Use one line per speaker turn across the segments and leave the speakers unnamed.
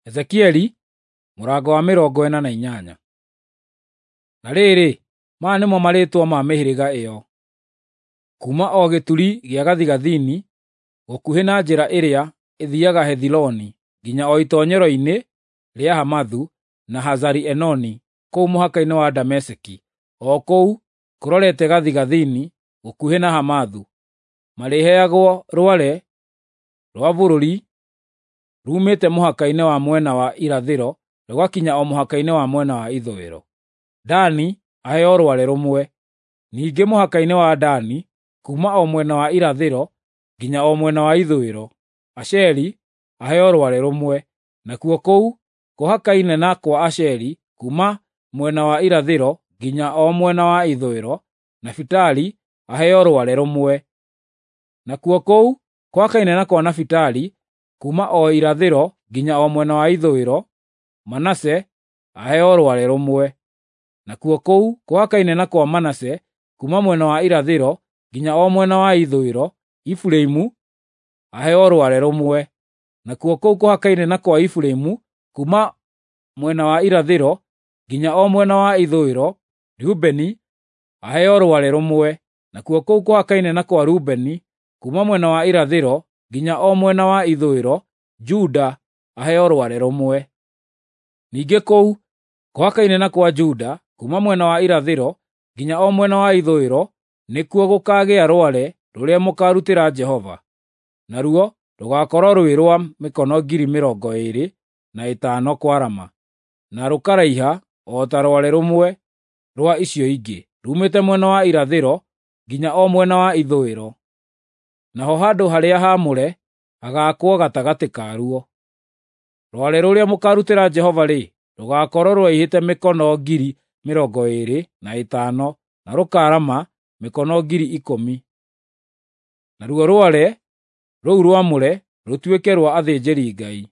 Ezekieli mũrango wa 48. Na rĩrĩ, maya nĩmo marĩĩtwa ma mĩhĩrĩga ĩyo: Kuuma o gĩturi gĩa gathigathini, gũkuhĩ na njĩra ĩrĩa ĩthiiaga Hethiloni nginya o itoonyero-inĩ rĩa Hamathu, na Hazari-Enoni kũu mũhaka-inĩ wa Dameski, o kũu kũrorete gathigathini gũkuhĩ na Hamathu, marĩheagwo rware rwa bũrũri ruumĩte mũhaka-inĩ wa mwena wa irathĩro rũgakinya o mũhaka-inĩ wa mwena wa ithũĩro. Dani aheo rware rũmwe. Ningĩ mũhaka-inĩ wa Dani, kuuma o mwena wa irathĩro nginya o mwena wa ithũĩro, Asheri aheo rware rũmwe; nakuo kũu kũhakaine na kwa Asheri kuuma mwena wa irathĩro nginya o mwena wa ithũĩro, Nafitali aheo rware rũmwe; nakuo kũu kũhakaine na kwa Nafitali kuuma o irathĩro nginya o mwena wa ithũĩro, Manase aheo rware rũmwe; nakuo kũu kũhakaine na kwa Manase kuuma mwena wa irathĩro nginya o mwena wa ithũĩro, Efiraimu aheo rware rũmwe; nakuo kũu kũhakaine na kwa Efiraimu kuuma mwena wa irathĩro nginya o mwena wa ithũĩro, Rubeni aheo rware rũmwe; nakuo kũu kũhakaine na kwa Rubeni kuuma mwena wa irathĩro nginya o mwena wa ithũĩro, Juda aheo rware rũmwe. Ningĩ kũu kũhakaine na kwa Juda kuuma mwena wa irathĩro nginya o mwena wa ithũĩro nĩkuo gũkaagĩa rware rũrĩa mũkaarutĩra Jehova, naruo rũgaakorwo rwĩ rwa mĩkono 25,000 kwarama, na rũkaraiha o ta rware rũmwe rwa icio ingĩ, ruumĩte mwena wa irathĩro nginya o mwena wa ithũĩro. Naho handũ harĩa haamũre hagaakwo gatagatĩ karuo. Rware rũrĩa mũkaarutĩra Jehova-rĩ, rũgaakorwo rũraihĩte mĩkono 25,000 na rũkaarama mĩkono 10,000. Naruo rware rũu rwamũre rũtuĩke rwa athĩnjĩri-Ngai,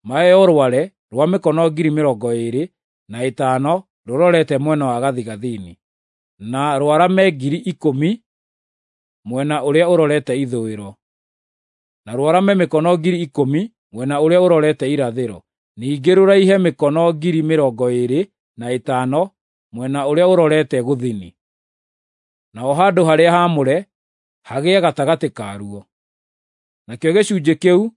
maheo rware rwa mĩkono 25,000 rũrorete mwena wa gathigathini, na rwarame 10,000 mwena ũrĩa ũrorete ithũĩro, na rwarame mĩkono 10,000 mwena ũrĩa ũrorete irathĩro, ningĩ rũraihe mĩkono 25,000 mwena ũrĩa ũrorete gũthini. Naho handũ harĩa haamũre hagĩe gatagatĩ karuo. Nakĩo gĩcunjĩ kĩu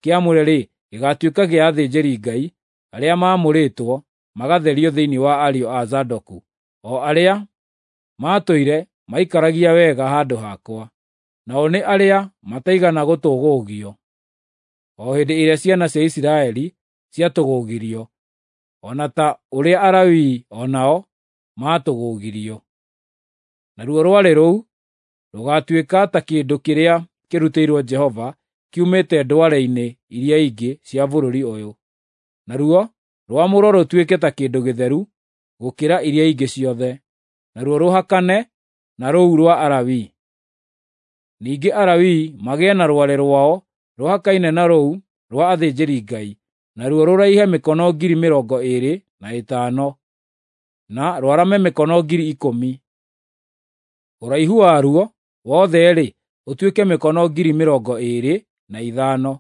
kĩamũre-rĩ, gĩgaatuĩka gĩa athĩnjĩri-Ngai arĩa maamũrĩtwo magatherio thĩinĩ wa ariũ a Zadoku, o arĩa maatũire maikaragia wega handũ hakwa, nao nĩ arĩa mataigana gũtũgũgio, o hĩndĩ ĩrĩa ciana cia Isiraeli ciatũgũgirio, o na ta ũrĩa Alawii o nao maatũgũgirio. Naruo rware rũu rũgaatuĩka ta kĩndũ kĩrĩa kĩrutĩirwo Jehova kiumĩte ndware-inĩ iria ingĩ cia bũrũri ũyũ, naruo rwamũrwo rũtuĩke ta kĩndũ gĩtheru gũkĩra iria ingĩ ciothe, naruo rũhakane na rũu rwa Alawii. Ningĩ Alawii magĩe na rware rwao rũhakaine na rũu rwa athĩnjĩri-Ngai, naruo rũraihe mĩkono 25,000 na rwarame mĩkono 10,000. Ũraihu waruo wothe-rĩ, ũtuĩke mĩkono 25,000,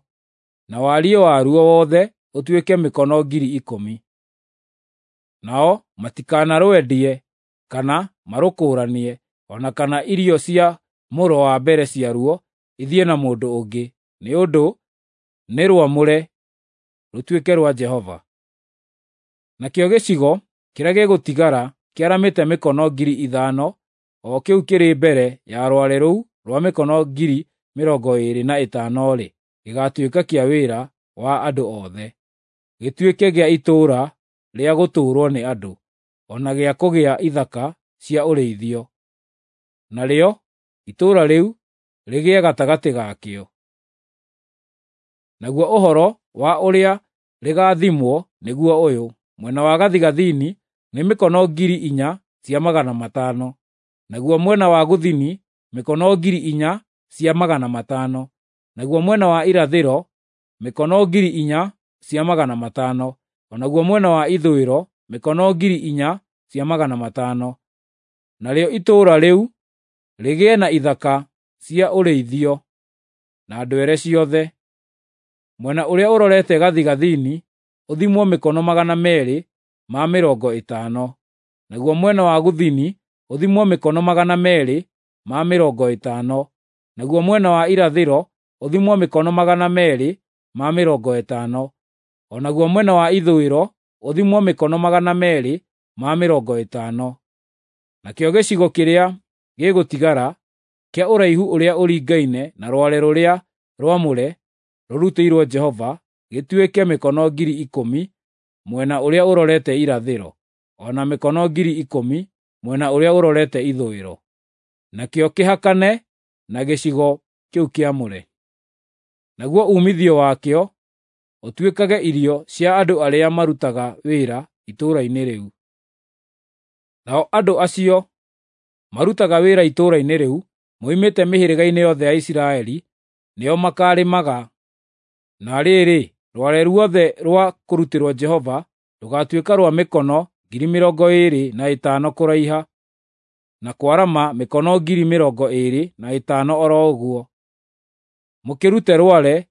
na wariĩ waruo wothe ũtuĩke mĩkono 10,000. Nao matikanarwendie kana marũkũũranie, o na kana irio cia mũro wa mbere ciaruo ithiĩ na mũndũ ũngĩ, nĩ ũndũ nĩ rwamũre, rũtuĩke rwa Jehova. Nakĩo gĩcigo kĩrĩa gĩgũtigara kĩaramĩte mĩkono 5,000, o kĩu kĩrĩ mbere ya rware rũu rwa mĩkono 25,000-rĩ, gĩgaatuĩka kĩa wĩra wa andũ othe, gĩtuĩke gĩa itũũra rĩa gũtũũrwo nĩ andũ, o na gĩa kũgĩa ithaka cia ũrĩithio. Narĩo itũũra rĩu rĩgĩe gatagatĩ gakĩo. Naguo ũhoro wa ũrĩa rĩgaathimwo nĩguo ũyũ: mwena wa gathigathini nĩ mĩkono 4,500, naguo mwena wa gũthini mĩkono 4,500, naguo mwena wa irathĩro mĩkono 4,500, o naguo mwena wa ithũĩro mĩkono 4,500. Narĩo itũũra rĩu rĩgĩe na ithaka cia ũrĩithio na ndwere ciothe. Mwena ũrĩa ũrorete gathigathini ũthimwo mĩkono 250, naguo mwena wa gũthini ũthimwo mĩkono 250, naguo mwena wa irathĩro ũthimwo mĩkono 250, o naguo mwena wa ithũĩro ũthimwo mĩkono 250. Nakĩo gĩcigo kĩrĩa gĩgũtigara kĩa ũraihu ũrĩa ũringaine na rware rũrĩa rwamũre rũrutĩirwo Jehova gĩtuĩke mĩkono 10,000 mwena ũrĩa ũrorete irathĩro, o na mĩkono 10,000 mwena ũrĩa ũrorete ithũĩro. Nakĩo kĩhakane na gĩcigo kĩu kĩamũre. Naguo uumithio wakĩo ũtuĩkage irio cia andũ arĩa marutaga wĩra itũũra-inĩ rĩu. Nao andũ acio marutaga wĩra itũũra-inĩ rĩu moimĩte mĩhĩrĩga-inĩ yothe ya Isiraeli nĩo makaarĩmaga. Na rĩrĩ, rware ruothe rwa kũrutĩrwo Jehova rũgaatuĩka rwa mĩkono 25,000 kũraiha, na kwarama mĩkono 25,000 o ro ũguo. Mũkĩrute rware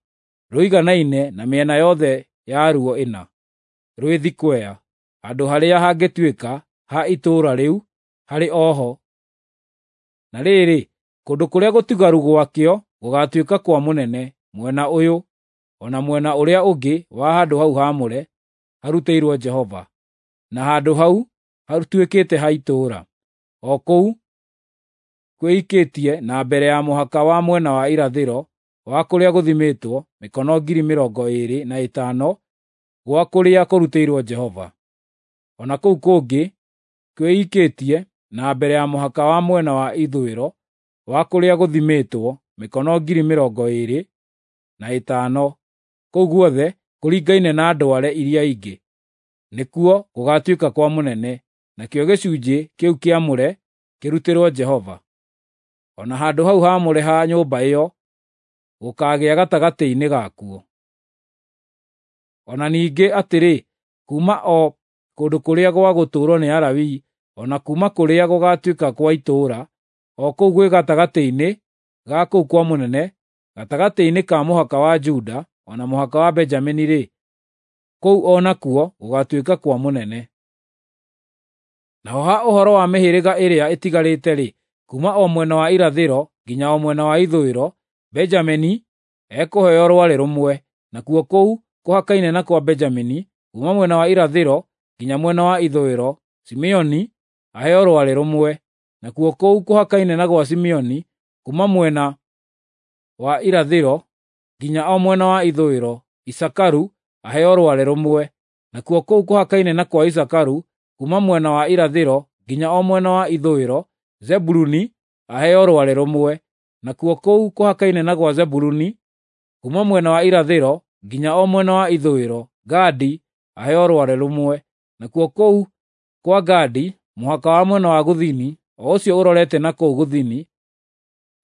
rũiganaine na mĩena yothe yaruo ĩna, rwĩ thikwea, handũ harĩa hangĩtuĩka ha itũũra rĩu harĩ o ho. Na rĩrĩ, kũndũ kũrĩa gũtigaru gwakĩo gũgaatuĩka kwa mũnene mwena ũyũ o na mwena ũrĩa ũngĩ wa handũ hau haamũre harutĩirwo Jehova, na handũ hau hatuĩkĩte ha itũũra, o kũu kwĩikĩtie na mbere ya mũhaka wa mwena wa irathĩro wa kũrĩa gũthimĩtwo mĩkono 25,000 gwa kũrĩa kũrutĩirwo Jehova. O na kũu kũngĩ kwĩikĩtie na mbere ya mũhaka wa mwena wa ithũĩro wa kũrĩa gũthimĩtwo mĩkono 25,000, kũu guothe kũringaine na ndware iria ingĩ, nĩkuo gũgaatuĩka kwa mũnene, nakĩo gĩcunjĩ kĩu kĩamũre kĩrutĩrwo Jehova. O na handũ hau haamũre ha nyũmba ĩyo gũkaagĩa gatagatĩ-inĩ gakuo. O na ningĩ atĩrĩ, kuuma o kũndũ kũrĩa gwa gũtũũrwo nĩ Alawii, o na kuuma kũrĩa gũgaatuĩka kwa itũũra, o kũu gwĩ gatagatĩ-inĩ ga kũu kwa mũnene, gatagatĩ-inĩ ka mũhaka wa Juda o na mũhaka wa Benjamini-rĩ, kũu o nakuo gũgaatuĩka kwa mũnene. Naho ha ũhoro wa mĩhĩrĩga ĩrĩa ĩtigarĩte-rĩ, kuuma o mwena wa irathĩro nginya o mwena wa ithũĩro, Benjamini ekũheo rware rũmwe, nakuo kũu kũhakaine na kwa Benjamini, kuuma mwena wa irathĩro nginya mwena wa ithũĩro, Simeoni aheo rware rũmwe, nakuo kũu kũhakaine na gwa Simeoni, kuuma mwena wa irathĩro nginya o mwena wa ithũĩro, Isakaru aheo rware rũmwe, nakuo kũu kũhakaine na kwa Isakaru, kuuma mwena wa irathĩro nginya o mwena wa ithũĩro, Zebuluni aheo rware rũmwe, nakuo kũu kũhakaine na gwa Zebuluni, kuuma mwena wa irathĩro nginya o mwena wa ithũĩro, Gadi aheo rware rũmwe, nakuo kũu kwa Gadi mũhaka wa mwena wa gũthini, o ũcio ũrorete na kũu gũthini,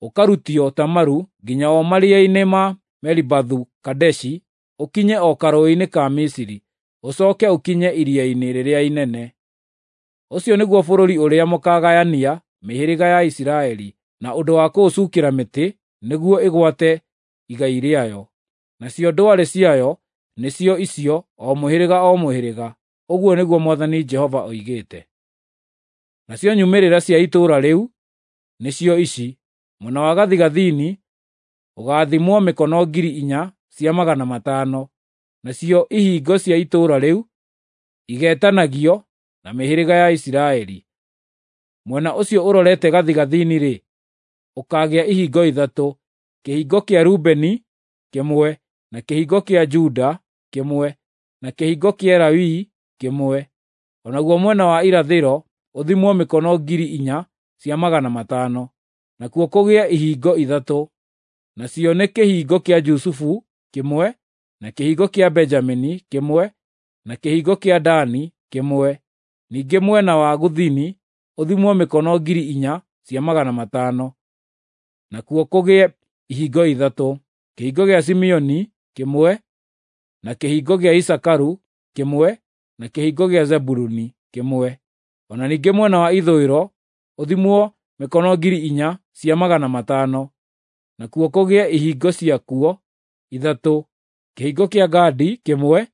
ũkarutio Tamaru nginya o maria-inĩ ma Meribathu-Kadeshi, ũkinye o karũũĩ-inĩ ka Misiri, ũcooke ũkinye iria-inĩ rĩrĩa inene. Ũcio nĩguo bũrũri ũrĩa mũkaagayania mĩhĩrĩga ya Isiraeli na ũndũ wa kũũcukĩra mĩtĩ nĩguo ĩgwate igai rĩayo. Nacio ndware ciayo nĩcio icio o mũhĩrĩga o mũhĩrĩga, ũguo nĩguo Mwathani Jehova oigĩte. Nacio nyumĩrĩra cia itũũra rĩu nĩcio ici: mwena wa gathigathini ũgaathimwo mĩkono 4,500, nacio ihingo cia itũũra rĩu igeetanagio na mĩhĩrĩga ya Isiraeli. Mwena ũcio ũrorete gathigathini-rĩ, ũkaagĩa ihingo ithatũ: kĩhingo kĩa Rubeni kĩmwe, na kĩhingo kĩa Juda kĩmwe, na kĩhingo kĩa Lawi kĩmwe. O naguo mwena wa irathĩro ũthimwo mĩkono 4,500, nakuo kũgĩe ihingo ithatũ, nacio nĩ kĩhingo kĩa Jusufu kĩmwe, na kĩhingo kĩa Benjamini kĩmwe, na kĩhingo kĩa Dani kĩmwe. Ningĩ mwena wa gũthini ũthimwo mĩkono 4,500, nakuo kũgĩe ihingo ithatũ: kĩhingo gĩa Simeoni kĩmwe, na kĩhingo gĩa Isakaru kĩmwe, na kĩhingo gĩa Zebuluni kĩmwe. O na ningĩ mwena wa ithũĩro ũthimwo mĩkono 4,500, nakuo kũgĩe ihingo ciakuo ithatũ: kĩhingo kĩa Gadi kĩmwe,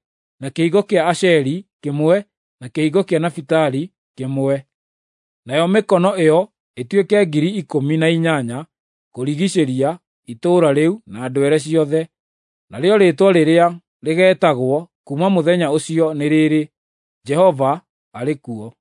na kĩhingo kĩa Asheri kĩmwe, na kĩhingo kĩa Nafitali kĩmwe. Nayo mĩkono ĩyo ĩtuĩke 18,000 kũrigiicĩria itũũra rĩu na ndwere ciothe. Narĩo rĩĩtwa rĩrĩa rĩgeetagwo kuuma mũthenya ũcio nĩ rĩrĩ, Jehova arĩ kuo.